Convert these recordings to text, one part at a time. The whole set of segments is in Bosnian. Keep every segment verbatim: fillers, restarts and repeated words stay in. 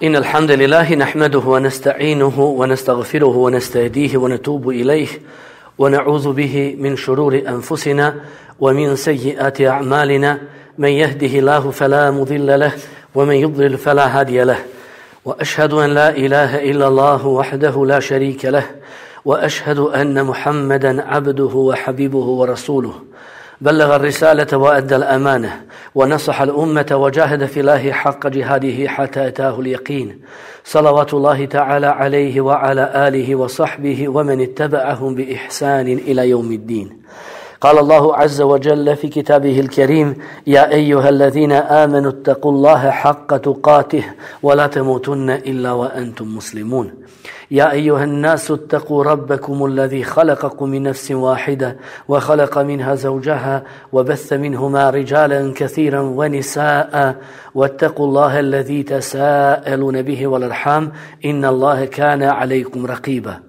إن الحمد لله نحمده ونستعينه ونستغفره ونستهديه ونتوب إليه ونعوذ به من شرور أنفسنا ومن سيئات أعمالنا. من يهده الله فلا مضل له ومن يضلل فلا هادي له. وأشهد أن لا إله إلا الله وحده لا شريك له وأشهد أن محمدا عبده وحبيبه ورسوله. بلغ الرسالة وأدى الأمانة ونصح الأمة وجاهد في الله حق جهاده حتى أتاه اليقين. صلوات الله تعالى عليه وعلى آله وصحبه ومن اتبعهم بإحسان إلى يوم الدين. قال الله عز وجل في كتابه الكريم: يا أيها الذين آمنوا اتقوا الله حق تقاته ولا تموتن إلا وأنتم مسلمون. يا أيها الناس اتقوا ربكم الذي خلقكم من نفس واحدة وخلق منها زوجها وبث منهما رجالا كثيرا ونساء واتقوا الله الذي تساءلون به والأرحام إن الله كان عليكم رقيبا.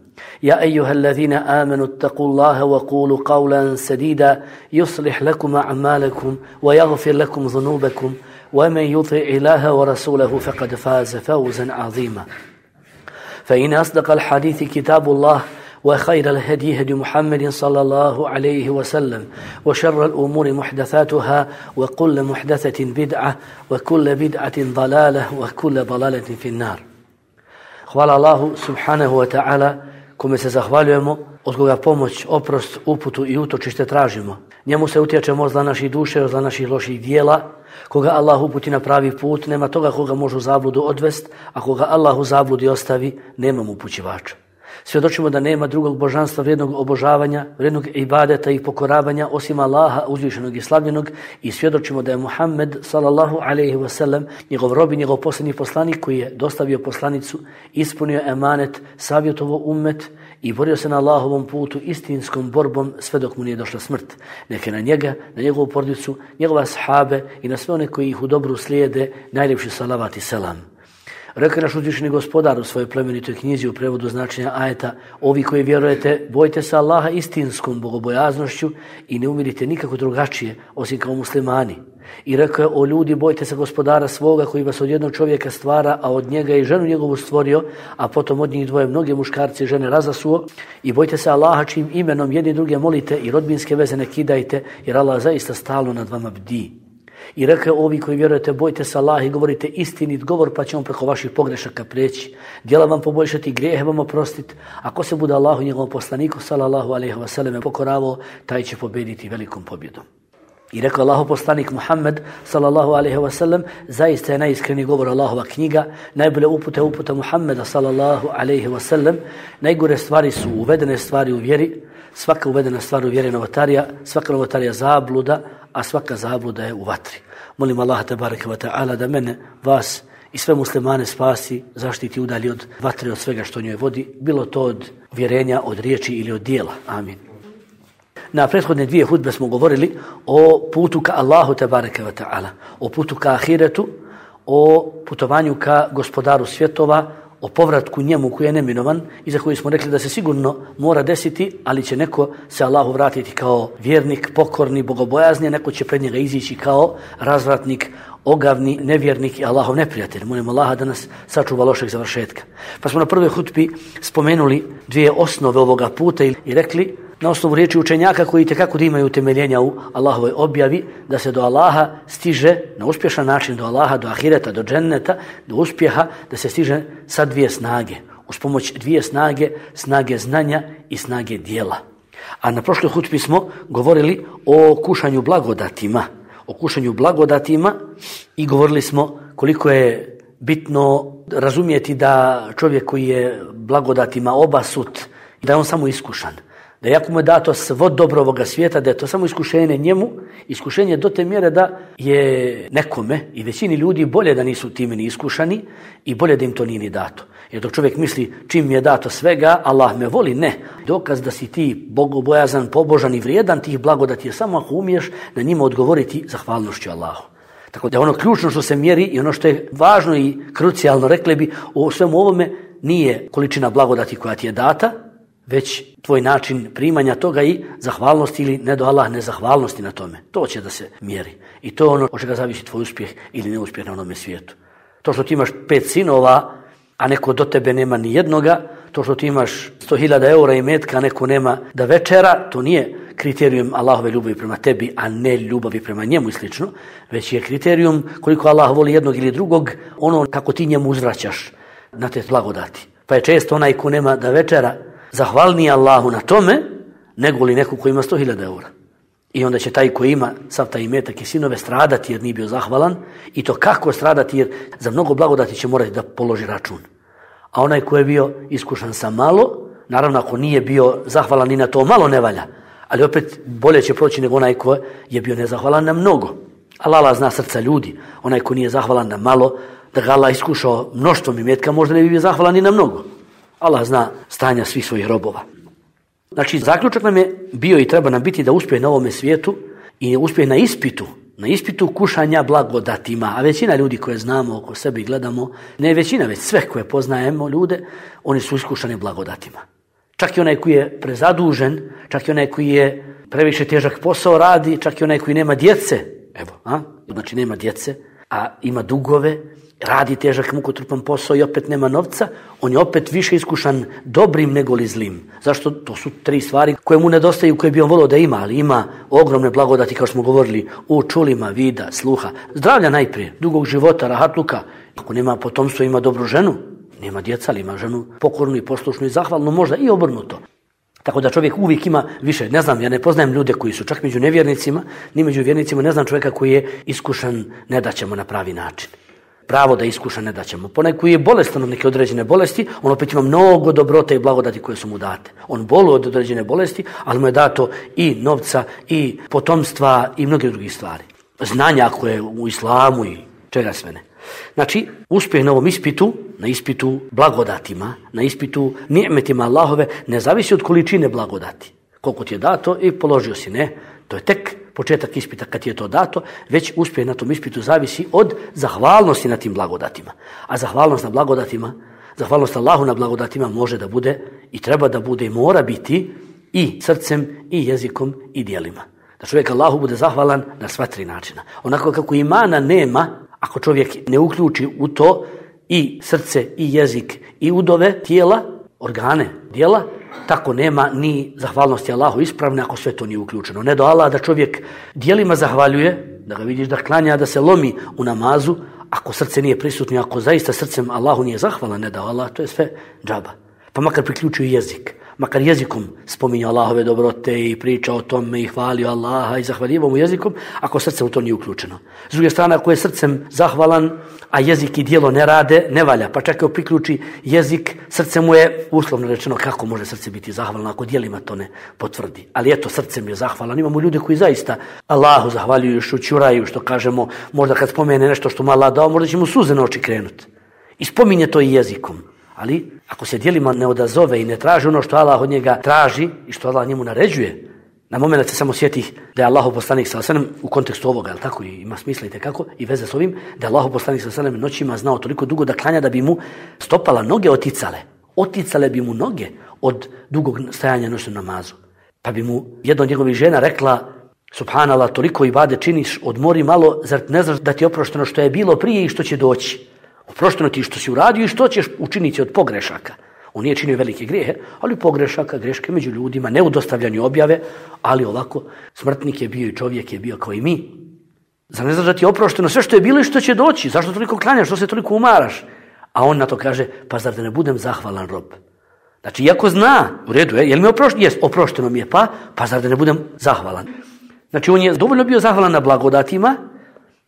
يا أيها الذين آمنوا اتقوا الله وقولوا قولا سديدا يصلح لكم أعمالكم ويغفر لكم ذنوبكم ومن يطع الله ورسوله فقد فاز فوزا عظيما. فإن أصدق الحديث كتاب الله وخير الهدي هدي محمد صلى الله عليه وسلم وشر الأمور محدثاتها وكل محدثة بدعة وكل بدعة ضلالة وكل ضلالة في النار. Hvala Allahu subhanahu wa ta'ala, kome se zahvaljujemo, od koga pomoć, oprost, uputu i utočište tražimo. Njemu se utječemo od zla naših duše, od zla naših loših dijela. Koga Allah uputi na pravi put, nema toga koga može u zabludu odvest, a koga Allah u zabludi ostavi, nema mu upućivača. Svjedočimo da nema drugog božanstva vrijednog obožavanja, vrijednog ibadeta i pokoravanja osim Allaha uzvišenog i slavljenog, i svjedočimo da je Muhammed sallallahu alejhi ve sellem njegov rob i njegov posljednji poslanik koji je dostavio poslanicu, ispunio emanet, savjetovao ummet i borio se na Allahovom putu istinskom borbom sve dok mu nije došla smrt. Neka na njega, na njegovu porodicu, njegove sahabe i na sve one koji ih u dobru slijede najljepši salavat i selam. Rekao naš uzvišeni gospodar u svojoj plemenitoj knjizi u prevodu značenja ajeta: ovi koji vjerujete, bojte se Allaha istinskom bogobojaznošću i ne umirite nikako drugačije osim kao muslimani. I rekao je: o ljudi, bojte se gospodara svoga koji vas od jednog čovjeka stvara, a od njega i ženu njegovu stvorio, a potom od njih dvoje mnoge muškarce i žene razasuo. I bojte se Allaha čijim imenom jedni druge molite i rodbinske veze ne kidajte, jer Allah zaista stalno nad vama bdi. I rekao: ovi koji vjerujete, bojte se Allaha i govorite istinit govor, pa će on preko vaših pogrešaka preći, djela vam poboljšati, grijehe vam oprostiti. Ako se bude Allahu i njegovom poslaniku sallallahu alejhi ve sellem pokoravao, taj će pobjediti velikom pobjedom. I rekao Allahov poslanik Muhammed sallallahu alejhi ve sellem: zaista je najiskreniji govor Allahova knjiga, najbolje upute uputa Muhammeda sallallahu alejhi ve sellem. Najgore stvari su uvedene stvari u vjeri. Svaka uvedena stvar u vjeri je novotarija, svaka novotarija zabluda, a svaka zabluda je u vatri. Molim Allaha tebareke ve taala da mene, vas i sve muslimane spasi, zaštiti, udalji od vatre, od svega što njoj vodi, bilo to od vjerenja, od riječi ili od dijela. Amin. Na prethodne dvije hudbe smo govorili o putu ka Allahu tebareke ve taala, o putu ka ahiretu, o putovanju ka gospodaru svjetova, o povratku njemu koji je neminovan i za koji smo rekli da se sigurno mora desiti, ali će neko se Allahu vratiti kao vjernik, pokorni, bogobojazni, a neko će pred njega izići kao razvratnik, ogavni, nevjernik i Allahov neprijatelj. Molim Allaha da nas sačuva lošeg završetka. Pa smo na prvoj hutbi spomenuli dvije osnove ovoga puta i rekli na osnovu riječi učenjaka koji itekako da imaju utemeljenja u Allahovoj objavi, da se do Allaha stiže na uspješan način, do Allaha, do ahireta, do dženneta, do uspjeha, da se stiže sa dvije snage. Uz pomoć dvije snage, snage znanja i snage dijela. A na prošloj hutbi smo govorili o kušanju blagodatima, o kušanju blagodatima i govorili smo koliko je bitno razumjeti da čovjek koji je blagodatima obasut, da je on samo iskušan. Da jako mu je dato svo dobro ovoga svijeta, da je to samo iskušenje njemu, iskušenje do te mjere da je nekome i većini ljudi bolje da nisu time ni iskušani i bolje da im to nije ni dato. Jer dok čovjek misli čim mi je dato svega, Allah me voli, ne. Dokaz da si ti bogobojazan, pobožan i vrijedan tih blagodati je samo ako umiješ na njima odgovoriti zahvalnošću Allahu. Tako da ono ključno što se mjeri i ono što je važno i krucijalno, rekli bi, u svemu ovome nije količina blagodati koja ti je data, već tvoj način primanja toga i zahvalnosti ili ne do Allah nezahvalnosti na tome. To će da se mjeri. I to je ono od čega zavisi tvoj uspjeh ili neuspjeh na onome svijetu. To što ti imaš pet sinova, a neko do tebe nema ni jednoga, to što ti imaš sto hiljada eura i metka, a neko nema da večera, to nije kriterijum Allahove ljubavi prema tebi, a ne ljubavi prema njemu i slično, već je kriterijum koliko Allah voli jednog ili drugog, ono kako ti njemu uzvraćaš na te blagodati. Pa je često onaj ko nema da večera zahvalniji Allahu na tome, nego li neko ko ima sto hiljada eura. I onda će taj koji ima sav taj imetak i sinove stradati jer nije bio zahvalan, i to kako stradati, jer za mnogo blagodati će morati da položi račun. A onaj ko je bio iskušan sa malo, naravno ako nije bio zahvalan ni na to malo ne valja, ali opet bolje će proći nego onaj ko je bio nezahvalan na mnogo. Allah zna srca ljudi, onaj ko nije zahvalan na malo, da ga Allah iskušao mnoštvom imetka, možda ne bi bio zahvalan ni na mnogo. Allah zna stanja svih svojih robova. Znači, zaključak nam je bio i treba nam biti da uspije na ovome svijetu i uspije na ispitu, na ispitu kušanja blagodatima. A većina ljudi koje znamo oko sebe i gledamo, ne većina, već sve koje poznajemo ljude, oni su iskušani blagodatima. Čak i onaj koji je prezadužen, čak i onaj koji je previše težak posao radi, čak i onaj koji nema djece, evo, a? Znači nema djece, a ima dugove, radi težak mukotrpan posao i opet nema novca, on je opet više iskušan dobrim nego li zlim. Zašto? To su tri stvari koje mu nedostaju, koje bi on volio da ima, ali ima ogromne blagodati, kao što smo govorili, u čulima, vida, sluha, zdravlja najprije, dugog života, rahatluka. Ako nema potomstvo, ima dobru ženu, nema djeca, ali ima ženu pokornu i poslušnu i zahvalnu, možda i obrnuto. Tako da čovjek uvijek ima više. Ne znam, ja ne poznajem ljude koji su čak među nevjernicima, ni među vjernicima, ne znam čovjeka koji je iskušan ne da ćemo na pravi način. Pravo da iskuša ne da ćemo. Ponaj koji je bolestan od neke određene bolesti, on opet ima mnogo dobrote i blagodati koje su mu date. On boluje od određene bolesti, ali mu je dato i novca, i potomstva, i mnoge drugih stvari. Znanja koje je u islamu i čega sve ne. Znači, uspjeh na ovom ispitu, na ispitu blagodatima, na ispitu ni'metima Allahove, ne zavisi od količine blagodati. Koliko ti je dato i položio si, ne. To je tek početak ispita kad ti je to dato, već uspjeh na tom ispitu zavisi od zahvalnosti na tim blagodatima. A zahvalnost na blagodatima, zahvalnost Allahu na blagodatima može da bude i treba da bude i mora biti i srcem, i jezikom, i djelima. Da čovjek Allahu bude zahvalan na sva tri načina. Onako kako imana nema, ako čovjek ne uključi u to i srce, i jezik, i udove tijela, organe, djela, tako nema ni zahvalnosti Allahu ispravne ako sve to nije uključeno. Ne do Allah da čovjek djelima zahvaljuje, da ga vidiš da klanja, da se lomi u namazu, ako srce nije prisutno, ako zaista srcem Allahu nije zahvalan, ne do Allah, to je sve džaba. Pa makar priključuju jezik, makar jezikom spominjao Allahove dobrote i pričao o tome i hvalio Allaha i zahvaljivao mu jezikom, ako srce u to nije uključeno. S druge strane, ako je srcem zahvalan, a jezik i djelo ne rade, ne valja. Pa čak i priključi jezik, srce mu je uslovno rečeno kako može srce biti zahvalno ako djelima to ne potvrdi. Ali eto, srcem je zahvalan. Imamo ljude koji zaista Allahu zahvaljuju, šućuraju, što kažemo, možda kad spomene nešto što mu Allah dao, možda će mu suze na oči krenuti. I spominje to i jezikom. Ali ako se djelima ne odazove i ne traži ono što Allah od njega traži i što Allah njemu naređuje, na moment se samo sjeti da je Allahov poslanik sallallahu alejhi ve sellem u kontekstu ovoga, jel tako, i ima smisla i tekako i veze s ovim, da je Allahov poslanik sallallahu alejhi ve sellem noćima znao toliko dugo da klanja da bi mu stopala noge oticale. Oticale bi mu noge od dugog stajanja noćnom namazu. Pa bi mu jedna od njegovih žena rekla: Subhanallah, toliko ibade činiš, odmori malo, zar ne znaš da ti je oprošteno što je bilo prije i što će doći? Oprošteno ti što si uradio i što ćeš učiniti od pogrešaka. On nije činio velike grijehe, ali pogrešaka, greške među ljudima, ne u dostavljanju objave, ali ovako, smrtnik je bio i čovjek je bio kao i mi. Zar ne znaš da ti je oprošteno sve što je bilo i što će doći? Zašto toliko klanjaš, što se toliko umaraš? A on na to kaže: pa zar da ne budem zahvalan rob? Znači, iako zna, u redu je, jel mi oprošteno? Jes, oprošteno mi je, pa, pa zar da ne budem zahvalan? Znači, on je dovoljno bio zahvalan na blagodatima,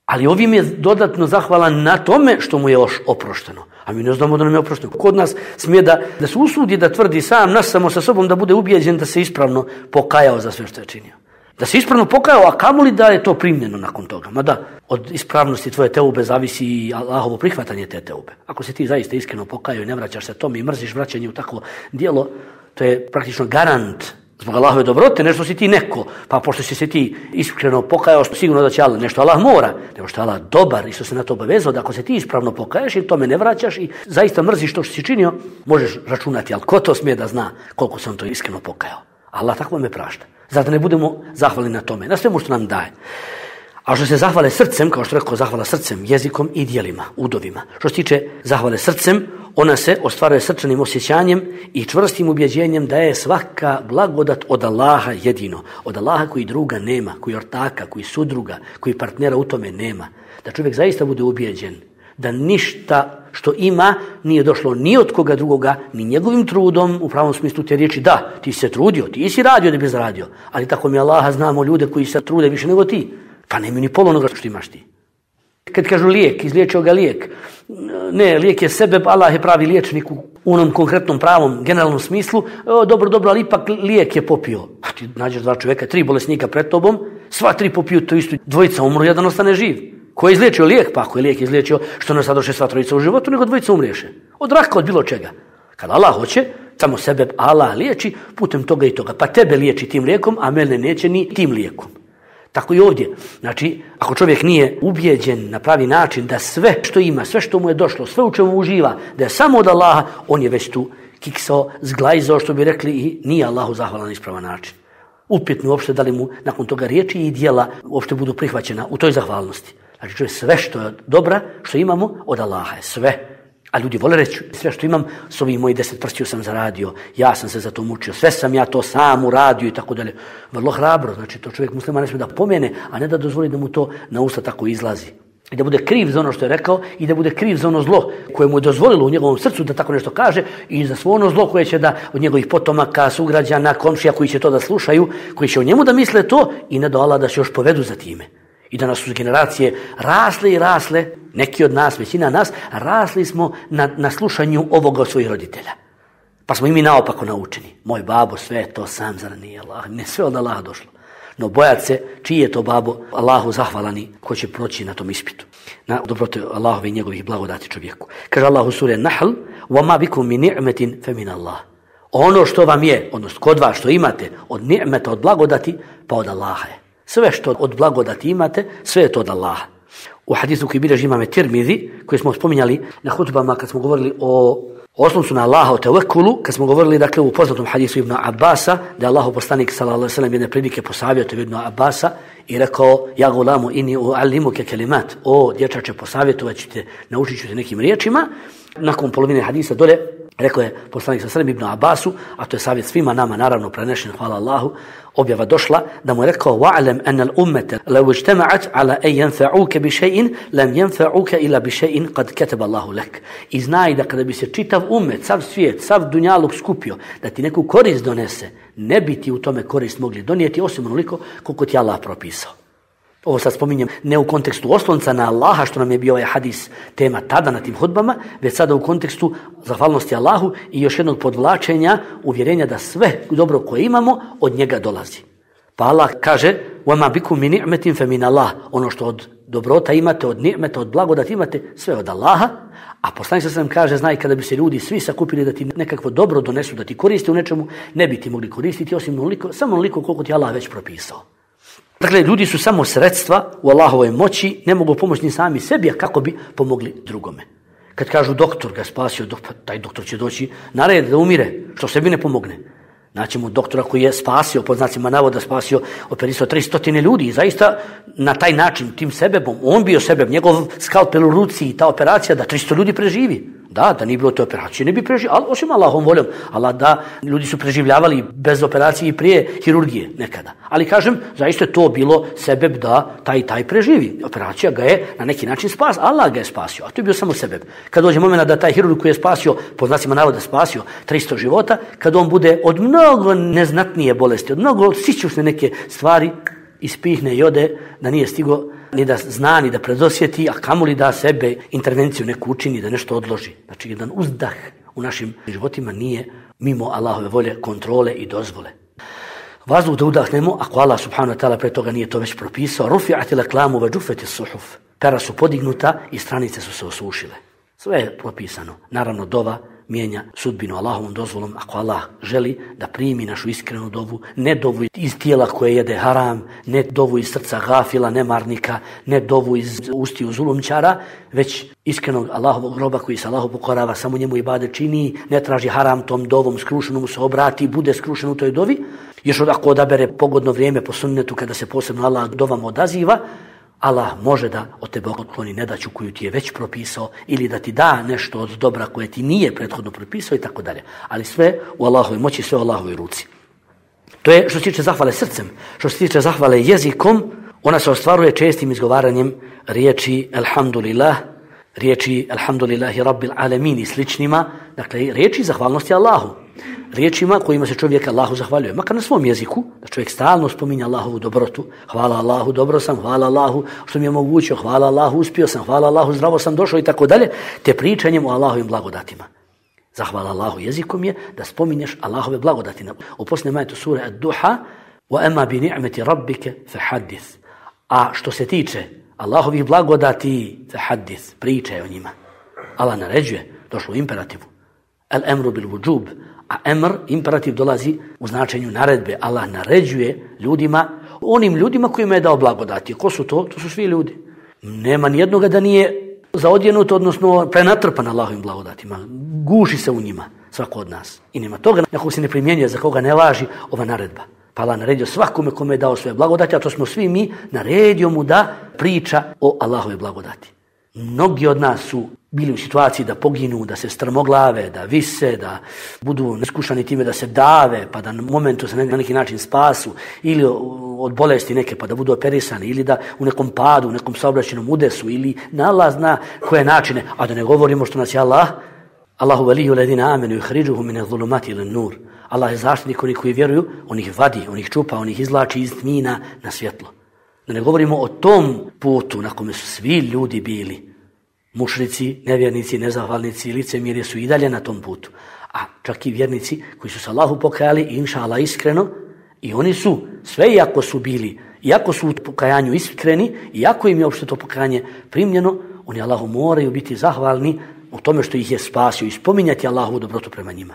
ali ovim je dodatno zahvalan na tome što mu je još oprošteno. A mi ne znamo da nam je oprošteno. Kod nas smije da, da se usudi da tvrdi sam nas samo sa sobom, da bude ubijeđen da se ispravno pokajao za sve što je činio. Da se ispravno pokajao, a kamoli da je to primljeno nakon toga. Mada od ispravnosti tvoje teube zavisi i Allahovo prihvatanje te teube. Ako se ti zaista iskreno pokajao i ne vraćaš se tome i mrziš vraćanje u takvo djelo, to je praktično garant zbog Allahove dobrote, nešto si ti neko, pa pošto si se ti iskreno pokajao, sigurno da će Allah, nešto Allah mora, nego što je Allah dobar i što se na to obavezao, da ako se ti ispravno pokaješ i tome ne vraćaš i zaista mrziš to što si činio, možeš računati, ali ko to smije da zna koliko se on to iskreno pokajao? Allah tako me prašta. Zato ne budemo zahvalni na tome, na svemu što nam daje. A što se zahvale srcem, kao što rekao, zahvala srcem, jezikom i djelima, udovima. Što se tiče zahvale srcem, ona se ostvaruje srčanim osjećanjem i čvrstim ubjeđenjem da je svaka blagodat od Allaha jedino. Od Allaha koji druga nema, koji ortaka, koji sudruga, koji partnera u tome nema. Da čovjek zaista bude ubijeđen da ništa što ima nije došlo ni od koga drugoga, ni njegovim trudom, u pravom smislu te riječi. Da, ti si se trudio, ti si radio da bi zaradio, ali tako mi Allaha znamo ljude koji se trude više nego ti, pa nemaju ni pol onoga što imaš ti. Kad kažu lijek, izliječio ga lijek. Ne, lijek je sebe, Allah je pravi liječnik u onom konkretnom pravom, generalnom smislu. O, dobro, dobro, ali ipak lijek je popio. A ti nađeš dva čovjeka, tri bolesnika pred tobom, sva tri popiju to isto, dvojica umru, jedan ostane živ. Ko je izliječio lijek? Pa ako je lijek izliječio, što ne sadoše sva trojica u životu, nego dvojica umriješe. Od raka, od bilo čega. Kad Allah hoće, samo sebe Allah liječi putem toga i toga. Pa tebe liječi tim lijekom, a mene neće ni tim lijekom. Tako i ovdje. Znači, ako čovjek nije ubijeđen na pravi način da sve što ima, sve što mu je došlo, sve u čemu uživa, da je samo od Allaha, on je već tu kiksao, zglajzao, što bi rekli, i nije Allahu zahvalan ispravan način. Upitno uopšte da li mu nakon toga riječi i djela uopšte budu prihvaćena u toj zahvalnosti. Znači, čovjek sve što je dobra, što imamo, od Allaha je sve. A ljudi vole reći, sve što imam, s ovih mojih deset prstiju sam zaradio, ja sam se za to mučio, sve sam ja to sam uradio i tako dalje. Vrlo hrabro, znači to čovjek muslima ne smije da pomene, a ne da dozvoli da mu to na usta tako izlazi. I da bude kriv za ono što je rekao i da bude kriv za ono zlo koje mu je dozvolilo u njegovom srcu da tako nešto kaže i za svo ono zlo koje će da od njegovih potomaka, sugrađana, komšija koji će to da slušaju, koji će o njemu da misle to i ne do Allah da se još povedu za time. I da nas su generacije rasle i rasle, neki od nas, većina nas, rasli smo na, na slušanju ovoga od svojih roditelja. Pa smo i mi naopako naučeni. Moj babo sve to sam, zar nije Allah? Ne, sve od Allaha došlo. No bojat se, čiji je to babo Allahu zahvalani ko će proći na tom ispitu. Na dobrote Allahove i njegovih blagodati čovjeku. Kaže Allah u suri Nahl, وَمَا بِكُمْ مِنْ نِعْمَةٍ فَمِنَ اللَّهِ. Ono što vam je, odnosno kod vas što imate od ni'meta, od blagodati, pa od Allaha je. Sve što od blagodati imate, sve je to od Allaha. U hadisu koji bilježi imame Tirmidhi, koji smo spominjali na hutbama kad smo govorili o osloncu na Allaha, o tevekulu, kad smo govorili dakle u poznatom hadisu Ibn Abbasa, da je Allahov poslanik sallallahu alejhi ve sellem jedne prilike posavjetio Ibn Abbasa i rekao: "Ja gulamu inni uallimuke kelimat." O dječače, posavjetovat ću te, naučit ću te nekim riječima. Nakon polovine hadisa dole rekao je poslanik sallallahu alejhi ve sellem Ibn Abbasu, a to je savjet svima nama, naravno prenešen, hvala Allahu, objava došla da mu je rekao: "Wa'lam anna al-ummata law ijtama'at 'ala an yanfa'uka bi shay'in lam yanfa'uka illa bi shay'in qad kataba Allahu lak." I znaj da kada bi se čitav ummet, sav svijet, sav dunjaluk skupio da ti neku korist donese, ne bi ti u tome korist mogli donijeti osim onoliko koliko ti Allah propisao. Ovo sad spominjem ne u kontekstu oslonca na Allaha, što nam je bio ovaj hadis tema tada na tim hudbama, već sada u kontekstu zahvalnosti Allahu i još jednog podvlačenja uvjerenja da sve dobro koje imamo od njega dolazi. Pa Allah kaže: "Wama bikum min ni'matin fa min Allah." Ono što od dobrota imate, od ni'meta, od blagodati imate, sve od Allaha. A poslanik sallallahu alejhi ve sellem kaže: "Znaj, kada bi se ljudi svi sakupili da ti nekakvo dobro donesu, da ti koriste u nečemu, ne bi ti mogli koristiti osim onoliko, samo onoliko koliko ti Allah već propisao." Dakle, ljudi su samo sredstva u Allahovoj moći, ne mogu pomoći ni sami sebi, a kako bi pomogli drugome. Kad kažu doktor ga spasio, taj doktor će doći na red da umire, što sebi ne pomogne. Naći mu doktora koji je spasio, pod znacima navoda spasio, operisao tristo ljudi i zaista na taj način, tim sebebom, on bio sebeb, njegov skalpel u ruci i ta operacija da tristo ljudi preživi. Da, da nije bilo te operacije, ne bi preživjeli, ali osim Allahom voljom. Allah da, ljudi su preživljavali bez operacije i prije hirurgije nekada. Ali kažem, zaista je to bilo sebeb da taj taj preživi. Operacija ga je na neki način spasio, Allah ga je spasio, a to je bio samo sebeb. Kad dođe moment da taj hirurg koji je spasio, po znacima navoda spasio tristo života, kad on bude od mnogo neznatnije bolesti, od mnogo sićušne neke stvari, ispihne i ode, da nije stigo ni da zna, ni da predosjeti, a kamoli da sebe intervenciju neku učini, da nešto odloži. Znači, jedan uzdah u našim životima nije mimo Allahove volje, kontrole i dozvole. Vazduh da udahnemo, ako Allah subhanahu wa ta'ala pre toga nije to već propisao, rufi'at al-aqlamu wa juffat as-suhuf. Pera su podignuta i stranice su se osušile. Sve je propisano. Naravno, dova mijenja sudbinu Allahovom dozvolom, ako Allah želi da primi našu iskrenu dovu, ne dovu iz tijela koje jede haram, ne dovu iz srca gafila, nemarnika, ne dovu iz ustiju zulumčara, već iskrenog Allahovog roba koji se Allahu pokorava, samo njemu ibadet čini, ne traži haram tom dovom, skrušeno mu se obrati, bude skrušen u toj dovi. Još ako odabere pogodno vrijeme po sunnetu kada se posebno Allah dovama odaziva, Allah može da od tebe otkloni nedaću koju ti je već propisao ili da ti da nešto od dobra koje ti nije prethodno propisao i tako dalje. Ali sve u Allahovoj moći, sve u Allahovoj ruci. To je što se tiče zahvale srcem. Što se tiče zahvale jezikom, ona se ostvaruje čestim izgovaranjem riječi alhamdulillah, riječi alhamdulillahi rabbil alamin i sličnima, dakle riječi zahvalnosti Allahu. Riječima kojima se čovjek Allahu zahvaljuje, makar na svom jeziku, da čovjek stalno spominje Allahovu dobrotu, hvala Allahu, dobro sam, hvala Allahu što mi je omogućio, hvala Allahu, uspio sam, hvala Allahu, zdravo sam došao i tako dalje, te pričanjem o Allahovim blagodatima. Zahvala Allahu jezikom je da spominješ Allahove blagodati. U posljednjem ajetu sure Ad-Duha, wa amma bi ni'mati rabbike fahaddith. A što se tiče Allahovih blagodati, fahaddith, pričaj o njima. Allah naređuje, došlo u imperativu. Al-emru bil vujub. A emr, imperativ, dolazi u značenju naredbe. Allah naređuje ljudima, onim ljudima kojima je dao blagodati. Ko su to? To su svi ljudi. Nema nijednoga da nije zaodjenut, odnosno prenatrpan Allahovim blagodatima. Guši se u njima, svako od nas. I nema toga na koga se ne primjenjuje, za koga ne važi ova naredba. Pa Allah naredio svakome kome je dao svoje blagodati, a to smo svi mi, naredio mu da priča o Allahove blagodati. Mnogi od nas su bili u situaciji da poginu, da se strmoglave, da vise, da budu iskušani time da se dave, pa da na momentu se na neki način spasu, ili od bolesti neke pa da budu operisani, ili da u nekom padu, u nekom saobraćajnom udesu, ili na Allah zna koje načine, a da ne govorimo što nas je Allah, Allahu veliju ledina amenu i hriđuhu mine zulumati ili nur. Allah je zaštitnik onih koji vjeruju, on ih vadi, on ih čupa, on ih izvlači iz tmina na svjetlo. Da ne govorimo o tom putu na kome su svi ljudi bili. Mušrici, nevjernici, nezahvalnici, licemiri su i dalje na tom putu. A čak i vjernici koji su se Allahu pokajali, inša Allah iskreno, i oni su, sve iako su bili, iako su u pokajanju iskreni, iako im je uopšte to pokajanje primljeno, oni Allahu moraju biti zahvalni u tome što ih je spasio i spominjati Allahovu dobrotu prema njima.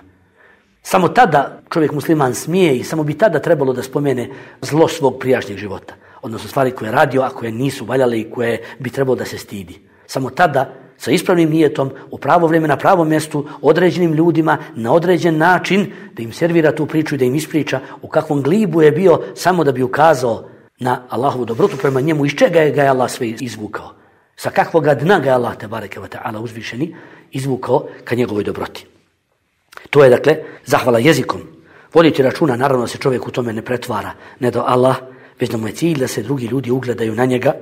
Samo tada čovjek musliman smije i samo bi tada trebalo da spomene zlo svog prijašnjeg života. Odnosno stvari koje je radio, a koje nisu valjale i koje bi trebalo da se stidi. Samo tada, sa ispravnim nijetom, u pravo vrijeme, na pravom mjestu, određenim ljudima, na određen način, da im servira tu priču i da im ispriča u kakvom glibu je bio samo da bi ukazao na Allahovu dobrotu prema njemu, iz čega je ga je Allah sve izvukao. Sa kakvog dna ga je Allah, tebareke ve ta'ala, uzvišeni, izvukao ka njegovoj dobroti. To je, dakle, zahvala jezikom. Voditi računa, naravno se čovjek u tome ne pretvara, ne do Allah, već da mu je cilj da se drugi ljudi ugledaju na njega.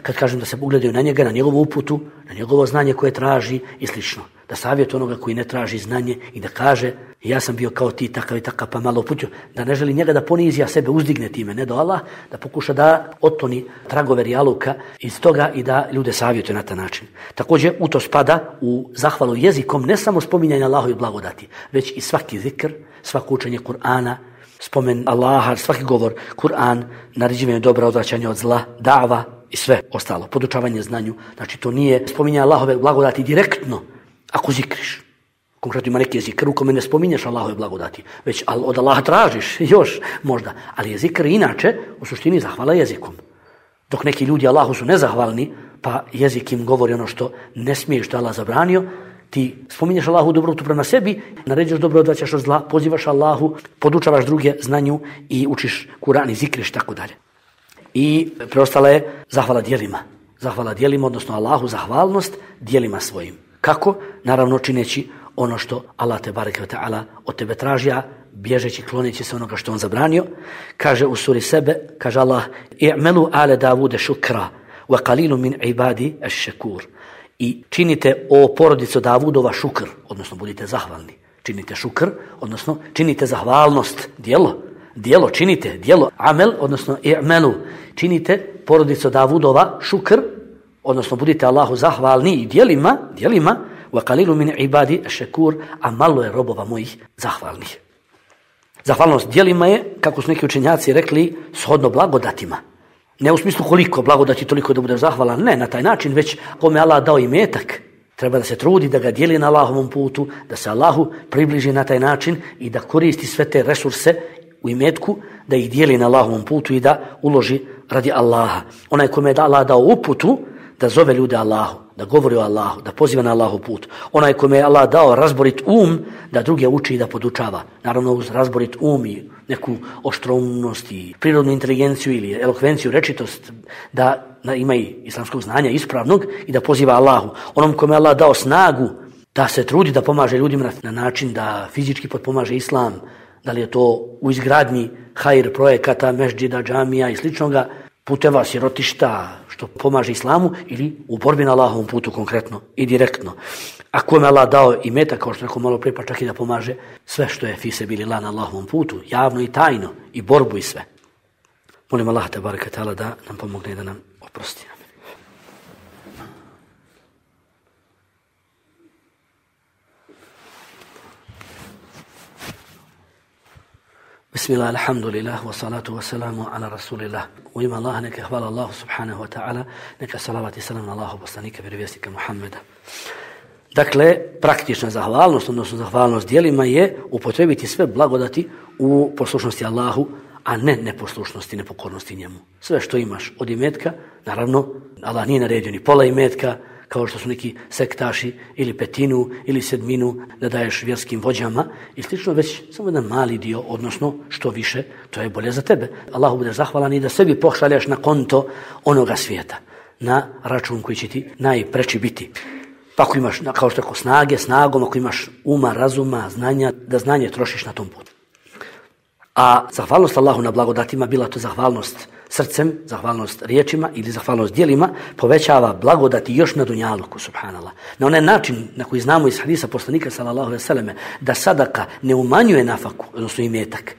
Kad kažem da se ugledaju na njega, na njegovu uputu, na njegovo znanje koje traži i slično. Da savjetuje onoga koji ne traži znanje i da kaže ja sam bio kao ti, takav i takav, pa malo uputio. Da ne želi njega da ponizi, a sebe uzdigne time, ne do Allah, da pokuša da otkloni tragove rijaluka iz toga i da ljude savjetuje na taj način. Također u to spada u zahvalu jezikom ne samo spominjanje Allahovi blagodati, već i svaki zikr, svako učenje Kur'ana, spomen Allaha, svaki govor, Kur'an, naređivanje dobra, odvraćanje od zla, dava i sve ostalo, podučavanje znanju. Znači to nije spominjanje Allahove blagodati direktno ako zikriš. Konkretno ima neki zikr u kome ne spominješ Allahove blagodati, već od Allaha tražiš još možda. Ali je zikr inače u suštini zahvala jezikom. Dok neki ljudi Allahu su nezahvalni, pa jezik im govori ono što ne smije, što Allah zabranio, ti spominješ Allahu dobrotu prema sebi, naređuješ dobro, odvraćaš od zla, pozivaš Allahu, podučavaš druge znanju i učiš Kur'an i zikriš, tako dalje. I preostala je zahvala djelima. Zahvala djelima, odnosno Allahu zahvalnost djelima svojim. Kako? Naravno čineći ono što Allah te bareke ve ta'ala od tebe traži, a bježeći, kloneći se onoga što on zabranio. Kaže u suri Sebe, kaže Allah, i'melu ale Davude šukra, wa qalilu min ibadi ash-shakur. I činite o porodicu Davudova šukr, odnosno budite zahvalni. Činite šukr, odnosno činite zahvalnost, djelo. Djelo, činite, djelo, amel, odnosno i'melu. Činite porodicu Davudova šukr, odnosno budite Allahu zahvalni i djelima, djelima, wa qalilu min ibadi ash-shakur, a malo je robova mojih zahvalnih. Zahvalnost djelima je, kako su neki učenjaci rekli, shodno blagodatima. Ne u smislu koliko blagodati toliko da budeš zahvalan, ne na taj način, već kome Allah dao imetak, treba da se trudi da ga dijeli na Allahovom putu, da se Allahu približi na taj način i da koristi sve te resurse u imetku, da ih dijeli na Allahovom putu i da uloži radi Allaha. Onaj kome je Allah dao uputu, da zove ljude Allahu, da govori o Allahu, da poziva na Allahov put. Onaj kome je Allah dao razborit um, da druge uči i da podučava. Naravno uz razborit um i neku oštroumnost i prirodnu inteligenciju ili elokvenciju, rečitost, da, da ima i islamskog znanja ispravnog i da poziva Allahu. Onom kome Allah dao snagu da se trudi da pomaže ljudima na, na način da fizički potpomaže islam, da li je to u izgradnji hajr projekata, mešđida, džamija i sličnoga, puteva, sirotišta, što pomaže islamu, ili u borbi na Allahovom putu konkretno i direktno. A kome Allah dao i meta, kao što rekao malo prije, pa čak i da pomaže sve što je fi sebilillah na Allahovom putu, javno i tajno, i borbu i sve. Molim Allah te bareke ta'ala da nam pomogne i da nam oprosti. Bismillah, alhamdulillah, wa salatu wa salamu ala rasulillah. U ime Allaha neka hvala Allahu subhanahu wa ta'ala, neka salavat i salam na Allahu poslanika, vjerovjesnika Muhammeda. Dakle, praktična zahvalnost, odnosno zahvalnost djelima je upotrebiti sve blagodati u poslušnosti Allahu, a ne neposlušnosti, nepokornosti njemu. Sve što imaš od imetka, naravno, Allah nije naredio ni pola imetka, kao što su neki sektaši, ili petinu, ili sedminu, da daješ vjerskim vođama, i slično, već samo jedan mali dio, odnosno što više, to je bolje za tebe. Allahu bude zahvalan i da sebi pošalješ na konto onoga svijeta, na račun koji će ti najpreći biti. Pa ako imaš, kao što je snage, snagom, ako imaš uma, razuma, znanja, da znanje trošiš na tom putu. A zahvalnost Allahu na blagodatima, bila to zahvalnost srcem, zahvalnost riječima ili zahvalnost djelima, povećava blagodati još na dunjaluku, subhanallah. Na onaj način na koji znamo iz hadisa poslanika sallallahu alejhi ve selleme da sadaka ne umanjuje nafaku, odnosno imetak.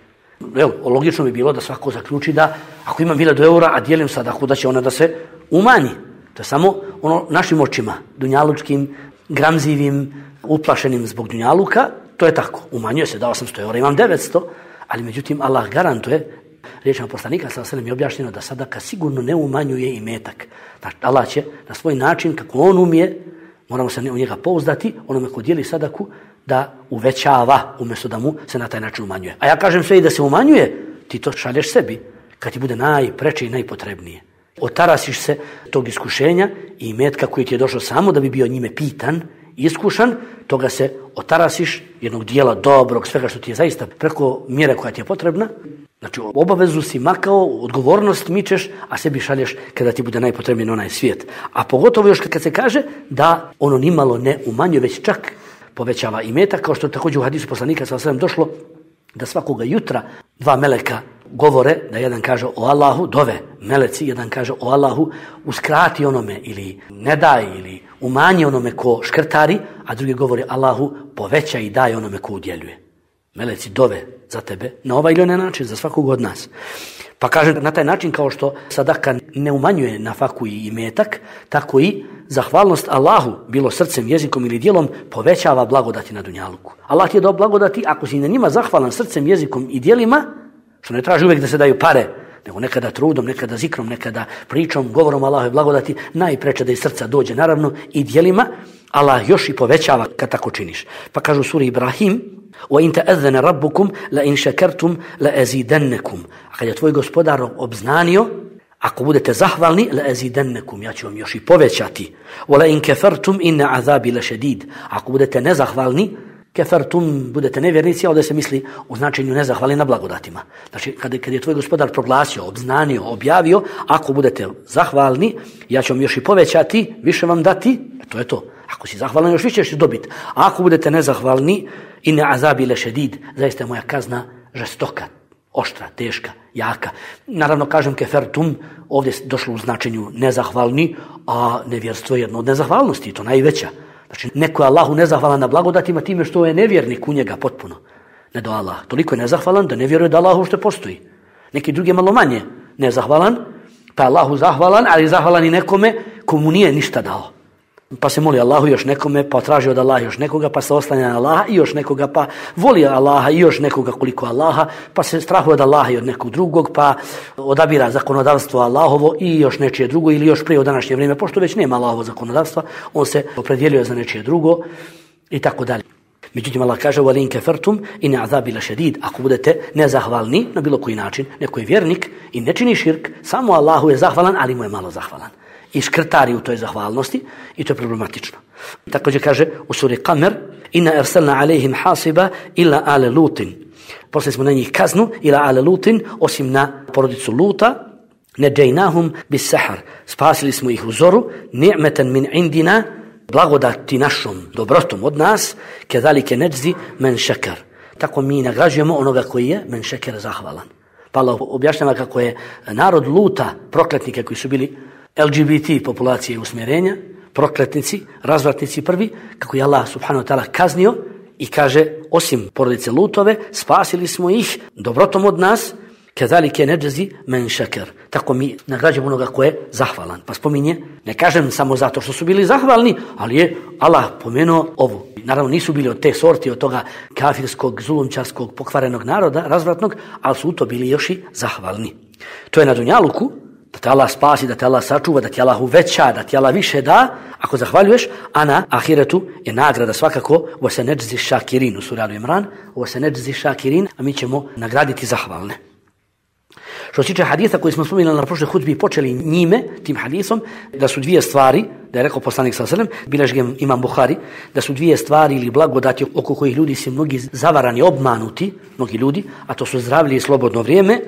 Evo, logično bi bilo da svako zaključi da ako imam hiljadu eura, a dijelim sadaku, da će ona da se umanji. To je samo ono našim očima, dunjalučkim, gramzivim, uplašenim zbog dunjaluka, to je tako. Umanjuje se, dao sam sto eura, imam devetsto, ali međutim Allah garantuje, riječima poslanika sallallahu alejhi ve sellem je objašnjeno da sadaka sigurno ne umanjuje imetak. Znači Allah će na svoj način, kako on umije, moramo se u njega pouzdati, onome ko dijeli sadaku, da uvećava umjesto da mu se na taj način umanjuje. A ja kažem sve i da se umanjuje, ti to šalješ sebi, kad ti bude najpreče i najpotrebnije. Otarasiš se tog iskušenja i imetka koji ti je došao samo da bi bio njime pitan, iskušan, toga se otarasiš, jednog dijela dobrog, svega što ti je zaista preko mjere koja ti je potrebna. Znači obavezu si makao, odgovornost mičeš, a sebi šalješ kada ti bude najpotrebniji onaj svijet. A pogotovo još kad se kaže da ono nimalo ne umanjuje, već čak povećava imetak, kao što je također u hadisu poslanika sallallahu alejhi ve sellem došlo da svakoga jutra dva meleka govore, da jedan kaže o Allahu, dove meleci, jedan kaže o Allahu, uskrati onome ili ne daj ili umanji onome ko škrtari, a drugi govori Allahu, poveća i daj onome ko udjeljuje. Meleci dove za tebe na ovaj ili onaj način, za svakog od nas. Pa kaže na taj način kao što sadaka ne umanjuje nafaku i imetak, tako i zahvalnost Allahu, bilo srcem, jezikom ili djelom, povećava blagodati na dunjaluku. Allah ti je dao blagodati, ako si na njima zahvalan srcem, jezikom i djelima, što ne traži uvijek da se daju pare, nego nekada trudom, nekada zikrom, nekada pričom, govorom Allahove blagodati, najpreče da iz srca dođe, naravno, i djelima, Allah još i povećava kad tako činiš. Pa kažu u suri Ibrahim, وَإِنْ تَأَذَّنَ رَبُّكُمْ لَإِنْ شَكَرْتُمْ لَأَزِيدَنَّكُمْ. A kad je tvoj gospodar obznanio, ako budete zahvalni, لَأَزِيدَنَّكُمْ, ja ću vam još i povećati. وَلَإِنْ كَفَرْتُمْ إِنَّ عَذَابِ لَشَدِيدٌ. Ako budete nezahvalni, kefertum, budete nevjernici, a ovdje se misli u značenju nezahvali na blagodatima. Znači, kad je, kad je tvoj gospodar proglasio, obznanio, objavio, ako budete zahvalni, ja ću vam još i povećati, više vam dati, to je to. Ako si zahvalan, još više ćeš dobiti. A ako budete nezahvalni, inne azabi lešedid, zaista je moja kazna žestoka, oštra, teška, jaka. Naravno, kažem kefertum, ovdje je došlo u značenju nezahvalni, a nevjerstvo je jedno od nezahvalnosti, to najveća. Znači, neko je Allahu nezahvalan na blagodatima time što je nevjernik u njega potpuno. Ne do Allah. Toliko je nezahvalan da ne vjeruje da Allahu što postoji. Neki drugi malo manje nezahvalan, pa Allahu zahvalan, ali zahvalan i nekome komu nije ništa dao. Pa se moli Allahu još nekome, pa traži od Allaha još nekoga, pa se oslanja na Allaha i još nekoga, pa voli Allaha i još nekoga koliko Allaha, pa se strahuje od Allaha i od nekog drugog, pa odabira zakonodavstvo Allahovo i još nečije drugo, ili još prije u današnje vrijeme, pošto već nema Allahovo zakonodavstva, on se opredjeljuje za nečije drugo i tako dalje. Međutim, Allah kaže وَلِنْ كَفَرْتُمْ إِنَّ عَذَابِ لَشَدِيدٌ. Ako budete nezahvalni na bilo koji način, neko je vjernik i ne čini širk, samo Allahu je zahvalan, ali mu je malo zahvalan. I škrtari u toj zahvalnosti i to je problematično. Također kaže u suri Kamer inna arsalna alejhim hasiba illa ale lutin. Poslali smo na njih kaznu ila ale Lutin, osim na porodicu Luta, neđejnahum bis sahar. Spasili smo ih u zoru, ni'meten min indina, blagodati našom dobrotom od nas, kedalike neđzi men šekar. Tako mi nagrađujemo onoga koji je men šeker zahvalan. Pa Allah objašnjava kako je narod Luta, prokletnike koji su bili L G B T populacije usmjerenja, prokletnici, razvratnici prvi, kako je Allah subhanahu wa ta'ala kaznio i kaže, osim porodice Lutove, spasili smo ih dobrotom od nas, kedalike neđzi men šeker. Tako mi nagrađujemo onoga ko je zahvalan. Pa spominje, ne kažem samo zato što su bili zahvalni, ali je Allah pomenuo ovu. Naravno nisu bili od te sorti, od toga kafirskog, zulumčarskog, pokvarenog naroda, razvratnog, ali su to bili još i zahvalni. To je na dunjaluku, da te Allah spasi, da te Allah sačuva, da ti Allah uveća, da ti Allah više da, ako zahvaljuješ, a na ahiretu je nagrada svakako u se neđzi šakirin, u suri Al Imran, u se neđzi šakirin, a mi ćemo nagraditi zahvalne. Što se tiče haditha koji smo spominjali na prošloj hudbi, počeli njime, tim hadisom, da su dvije stvari, da je rekao poslanik sallallahu alejhi ve sellem, bileži ga Imam Buhari, da su dvije stvari ili blagodati oko kojih ljudi su mnogi zavarani, obmanuti, mnogi ljudi, a to su zdravlje i slobodno vrijeme.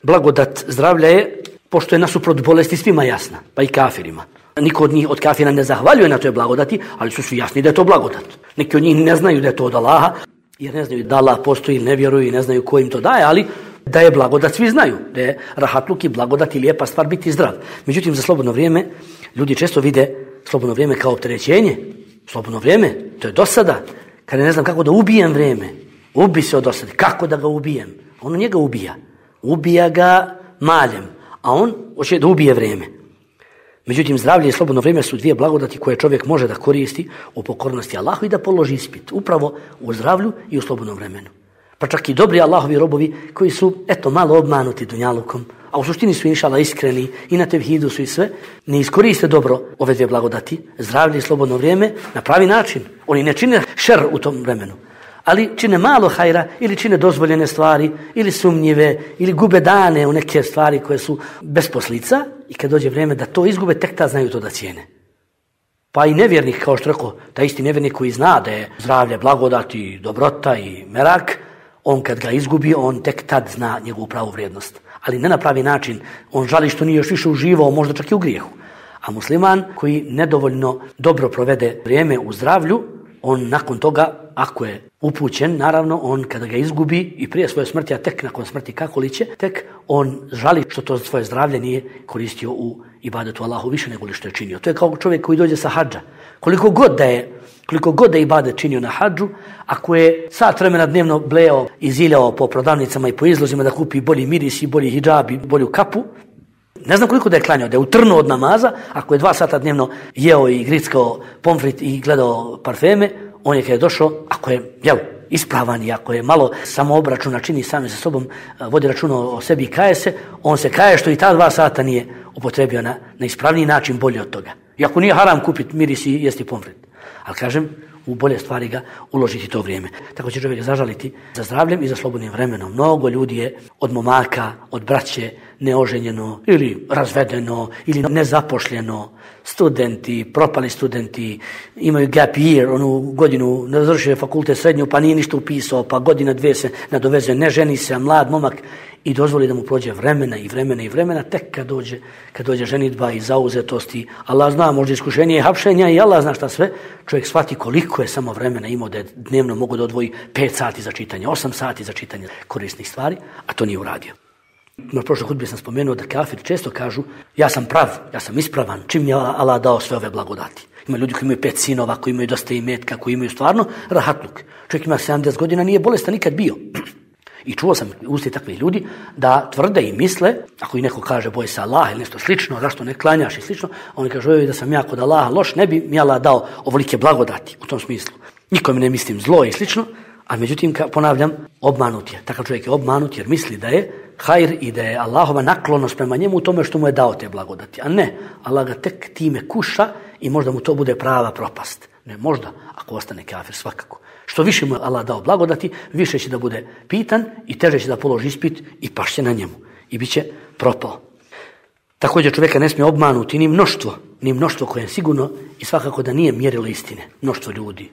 Blagodat zdravlja je, pošto je nasuprot bolesti svima jasna, pa i kafirima. Niko od njih, od kafira ne zahvaljuje na toj blagodati, ali su svi jasni da je to blagodat. Neki od njih ne znaju da je to od Allaha, jer ne znaju da Allah postoji, ne vjeruju i ne znaju ko im to daje, ali da je blagodat svi znaju, da je rahatluk i blagodat i lijepa stvar biti zdrav. Međutim, za slobodno vrijeme ljudi često vide slobodno vrijeme kao opterećenje. Slobodno vrijeme, to je dosada. Kada ne znam kako da ubijem vrijeme, ubi se od dosade. Kako da ga ubijem? On njega ubija. Ubija ga maljem, a on hoće da ubije vrijeme. Međutim, zdravlje i slobodno vrijeme su dvije blagodati koje čovjek može da koristi u pokornosti Allahu i da položi ispit. Upravo u zdravlju i u slobodnom vremenu. Pa čak i dobri Allahovi robovi koji su, eto, malo obmanuti dunjalukom, a u suštini su inšala iskreni i na tevhidu su i sve, ne iskoriste dobro ove dvije blagodati, zdravlje i slobodno vrijeme, na pravi način. Oni ne čine šer u tom vremenu, ali čine malo hajra ili čine dozvoljene stvari, ili sumnjive, ili gube dane u neke stvari koje su bez poslica i kad dođe vrijeme da to izgube, tek ta znaju to da cijene. Pa i nevjernik, kao što rekao, taj isti nevjernik koji zna da je zdravlje, blagodati, dobrota i merak, on kad ga izgubi, on tek tad zna njegovu pravu vrijednost. Ali ne na pravi način. On žali što nije još više uživao, možda čak i u grijehu. A musliman koji nedovoljno dobro provede vrijeme u zdravlju, on nakon toga, ako je upućen, naravno, on kada ga izgubi i prije svoje smrti, a tek nakon smrti kako li će, tek on žali što to svoje zdravlje nije koristio u ibadetu Allahu više nego li što je činio. To je kao čovjek koji dođe sa hadža. Koliko god da je Koliko god da je ibadet činio na hadžu, ako je sat vremena dnevno bleo i ziljao po prodavnicama i po izlozima da kupi bolji miris i bolji hidžab i bolju kapu, ne znam koliko da je klanjao, da je utrnuo od namaza, ako je dva sata dnevno jeo i grickao pomfrit i gledao parfeme, on je kada je došao, ako je jel, ispravan i ako je malo samo obračuna čini sami sa sobom, vodi računa o sebi i kaje se, on se kaje što i ta dva sata nije upotrebio na, na ispravniji način bolje od toga. I ako nije haram kupiti miris i jesti pomfrit. Ali kažem, u bolje stvari ga uložiti to vrijeme. Tako će čovjek zažaliti za zdravljem i za slobodnim vremenom. Mnogo ljudi je od momaka, od braće neoženjeno ili razvedeno ili nezapošljeno, studenti, propali studenti, imaju gap year, onu godinu ne završio fakultet srednju pa nije ništa upisao, pa godina dvije se nadovezuje, ne ženi se, mlad momak i dozvoli da mu prođe vremena i vremena i vremena, tek kad dođe, kad dođe ženidba i zauzetosti, Allah zna, možda iskušenje i hapšenja i Allah zna šta sve, čovjek shvati koliko je samo vremena imao da je dnevno mogu da odvoji pet sati za čitanje, osam sati za čitanje korisnih stvari, a to nije uradio. Na prošloj hudbi sam spomenuo da kafiri često kažu ja sam prav, ja sam ispravan, čim je Allah dao sve ove blagodati. Ima ljudi koji imaju pet sinova, koji imaju dosta imetka, koji imaju stvarno rahatluk. Čovjek ima sedamdeset godina, nije bolestan nikad bio. I čuo sam usti takvih ljudi da tvrde i misle, ako i neko kaže boj se Allah ili nešto slično, zašto ne klanjaš i slično, oni kažu da sam ja kod Allaha loš, ne bi mi Allah dao ovolike blagodati u tom smislu. Nikom ne mislim zlo i slično, a međutim, ponavljam, obmanut je. Takav čovjek je obmanut jer misli da je hajr i da je Allahova naklonost prema njemu u tome što mu je dao te blagodati. A ne, Allah ga tek time kuša i možda mu to bude prava propast. Ne, možda, ako ostane kafir, svakako. Što više mu je Allah dao blagodati, više će da bude pitan i teže će da položi ispit i pašće na njemu. I bit će propao. Također čovjeka ne smije obmanuti ni mnoštvo, ni mnoštvo koje je sigurno i svakako da nije mjerilo istine. Mnoštvo ljudi.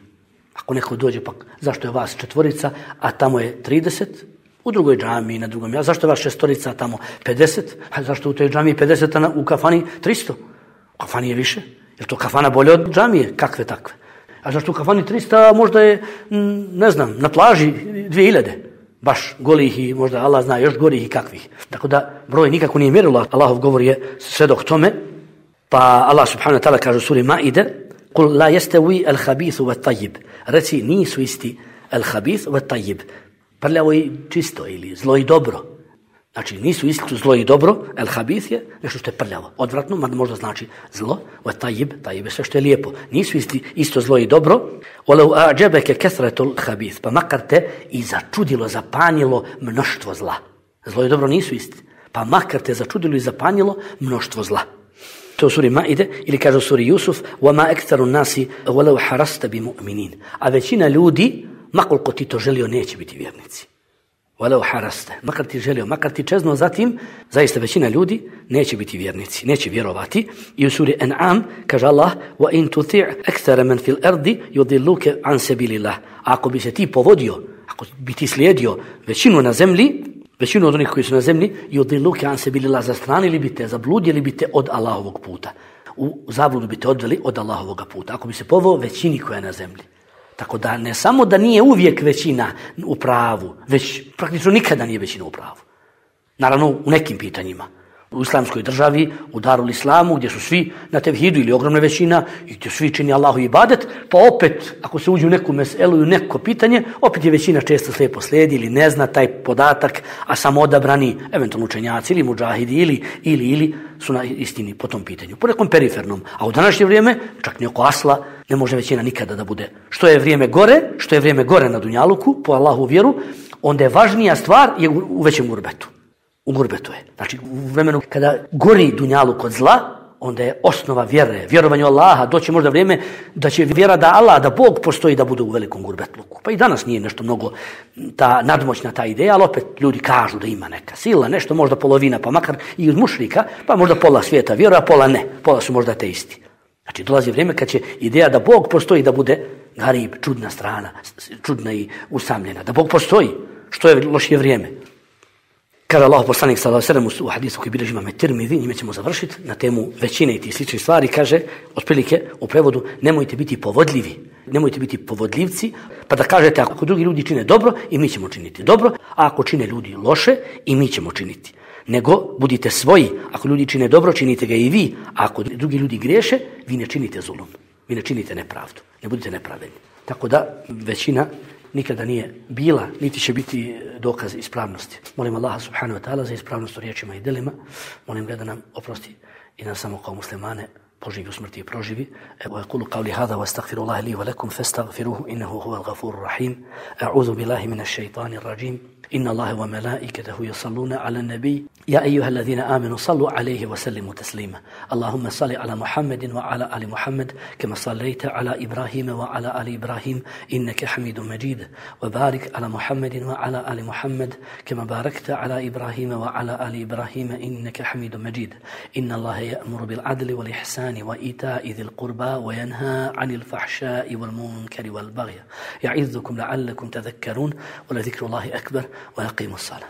Ako neko dođe, pa zašto je vas četvorica, a tamo je trideset, u drugoj džamiji, na drugom ja, zašto je vas šestorica, a tamo pedeset, a zašto u toj džamiji pedeset, a u kafani tristo? U kafani je više. Je to kafana bolje od džamije? Kakve takve? A zašto u kafani tristo, možda je, ne znam, na plaži dvije hiljade. Baš golih i možda Allah zna još gorih i kakvih. Tako da broj nikako nije mjerilo. Allahov govor je sve dok tome. Pa Allah subhanahu wa ta'ala kaže u suri Maide: "Kul la yastawi al-khabithu wat-tayyib." Reci, nisu isti al-khabith wat-tayyib. Prljavo i čisto ili zlo i dobro. Znači nisu isto zlo i dobro. Al-khabith je nešto što je prljavo, odvratno, mada možda znači zlo. Wat-tayyib, tayyib je sve što je lijepo. Nisu isti isto zlo i dobro. Walau a'jabaka kathratu al-khabith, pa makar te i začudilo, zapanjilo mnoštvo zla. Zlo i dobro nisu isti. Pa makar te začudilo i zapanjilo mnoštvo zla. To u suri Maide, ili kaže u suri Jusuf: "Wama aktharu nasi walau harasta bimu'minin." A većina ljudi, makoliko ti to želio, neće biti vjernici. Walau harasta, makar ti želio, makar ti čeznuo zatim, zaista većina ljudi neće biti vjernici, neće vjerovati. I u suri An'am kaže Allah: "Wa in tuti' akthara man fil ardi yudilluka an sabilillah." Ako bi se ti povodio, ako bi ti slijedio većinu na zemlji, većinu od onih koji su na zemlji, yudilluka an sabilillah, zastranili bi te, zabludili bi te od Allahovog puta. U zabludu bi te odveli od Allahovog puta. Ako bi se poveo većini koja je na zemlji. Tako da ne samo da nije uvijek većina u pravu, već praktično nikada nije većina u pravu. Naravno u nekim pitanjima. U islamskoj državi, u Darul Islamu, gdje su svi na tevhidu ili ogromna većina i gdje svi čini Allahu ibadet, pa opet ako se uđe u neku meselu i u neko pitanje, opet je većina često slijepo slijedi ili ne zna taj podatak, a samo odabrani eventualno učenjaci ili muđahidi ili, ili, ili su na istini po tom pitanju. Po nekom perifernom. A u današnje vrijeme, čak ni oko asla, ne može većina nikada da bude. Što je vrijeme gore, što je vrijeme gore na dunjaluku, po Allahu vjeru, onda je važnija stvar je u većem gurbetu. U gurbetu je. Znači, u vremenu kada gori dunjaluk od zla, onda je osnova vjere, vjerovanje u Allaha, doći možda vrijeme da će vjera da Allah, da Bog postoji, da bude u velikom gurbetluku. Pa i danas nije nešto mnogo ta nadmoćna ta ideja, ali opet ljudi kažu da ima neka sila, nešto možda polovina, pa makar i od mušrika, pa možda pola svijeta vjeruje, a pola ne. Pola su možda ateisti. Znači, dolazi vrijeme kad će ideja da Bog postoji, da bude garib, čudna strana, čudna i usamljena. Da Bog postoji, što je lošije vrijeme. Kaže Allah poslanik sallallahu alejhi ve sellem u hadisu koji bilježi Imam Tirmizi, njime ćemo završiti na temu većine i tih sličnih stvari, kaže otprilike u prevodu: nemojte biti povodljivi, nemojte biti povodljivci, pa da kažete ako drugi ljudi čine dobro i mi ćemo činiti dobro, a ako čine ljudi loše i mi ćemo činiti. Nego budite svoji, ako ljudi čine dobro, činite ga i vi, a ako drugi ljudi griješe, vi ne činite zulum, vi ne činite nepravdu, ne budite nepravedni. Tako da većina nikada nije bila, niti će biti dokaz ispravnosti. Molim Allaha subhanahu wa ta'ala za ispravnost u riječima i delima. Molim ga da nam oprosti i nas samo kao muslimane poživi u smrti i proživi. Evo aqulu qawli hadha wa astaghfirullaha li wa lakum fastaghfiruhu innahu huwal ghafurur rahim. A'udhu billahi minash shaitanir rajim. Inna Allaha wa malaikatahu yusalluna 'alan nabiy ya ayyuhalladhina amanu sallu 'alayhi wa sallimu taslima. Allahumma salli 'ala Muhammadin wa 'ala ali Muhammad kama sallaita 'ala Ibrahima wa 'ala ali Ibrahim innaka Hamidum Majid. Wa barik 'ala Muhammadin wa 'ala ali Muhammad kama barakta 'ala Ibrahima wa 'ala ali Ibrahim innaka Hamidum Majid. Inna Allaha ya'muru bil 'adli wal ihsani wa ita'i dhil qurba wa yanha 'anil fahsha'i wal munkari wal baghi. Ya'idhukum la'allakum tadhakkarun wa la dhikrullahi akbar. ويقيموا الصلاة.